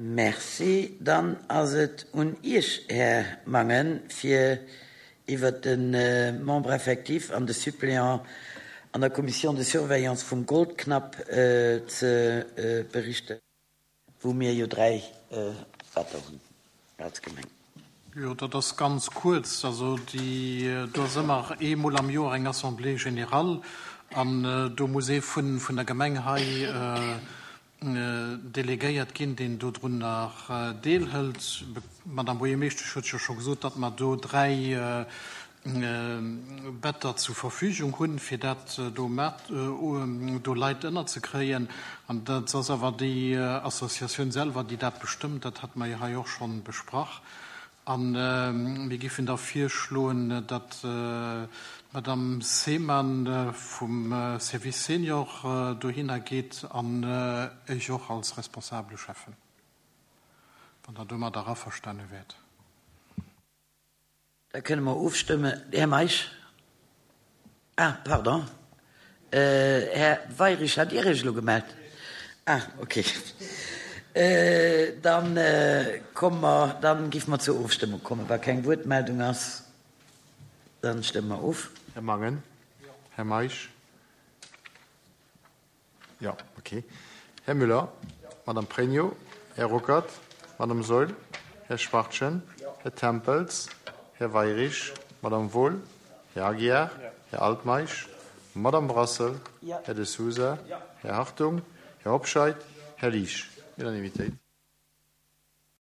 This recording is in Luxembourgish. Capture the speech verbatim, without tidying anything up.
Merci. Dann ass et un Iech, Här Mangen, fir iwwert de Membre effectif an de Suppléant an der Commission de surveillance vum Goldknapp ze berichten, wou mir jo dräi Better hunn als Gemeng. Jo, dat ass ganz kuerz. Also déi, do ass ëmmer eemol am Joer eng Assemblée générale an do muss ee vun, vun der Gemeng hei delegéiert ginn, deen dodrunner deelhëlt. D'Madame Buergermeeschtesch huet jo scho gesot, datt mer do dräi Better zur Verfügung hunn, fir dat do mat, do Leit ënnerzekréien. An dat ass awer déi Associatioun selwer, déi dat bestëmmt. Dat hate mer jo hei och scho besprach. A mir géifen da virschloen, datt d'Madame Seemann vum Service Senior dohinner geet an ech och als responsabele Schäffen, wann Der domadder averstane wäert. Da kënne mer ofstëmmen. Här Meisch? Ah, pardon. Här Weyrich, hat Dir Iech elo gemellt? Ah, okay. Dann komme mer, dann géife mer zur Ofstëmmung kommen. Wa keng Wuertmeldung ass, dann stëmme mer of. Här Mangen? Här Meisch? Jo, okay. Här Müller? Madame Pregno? Här Ruckert? Madame Saeul? Här Schwachtgen? Här Tempels? Här Weyrich? Madame Wohl? Här Aguiar? Här Altmeisch? Madame Brassel? Här De Sousa? Här Hartung? Här Hobscheit? Här Liesch? Unanimitéit.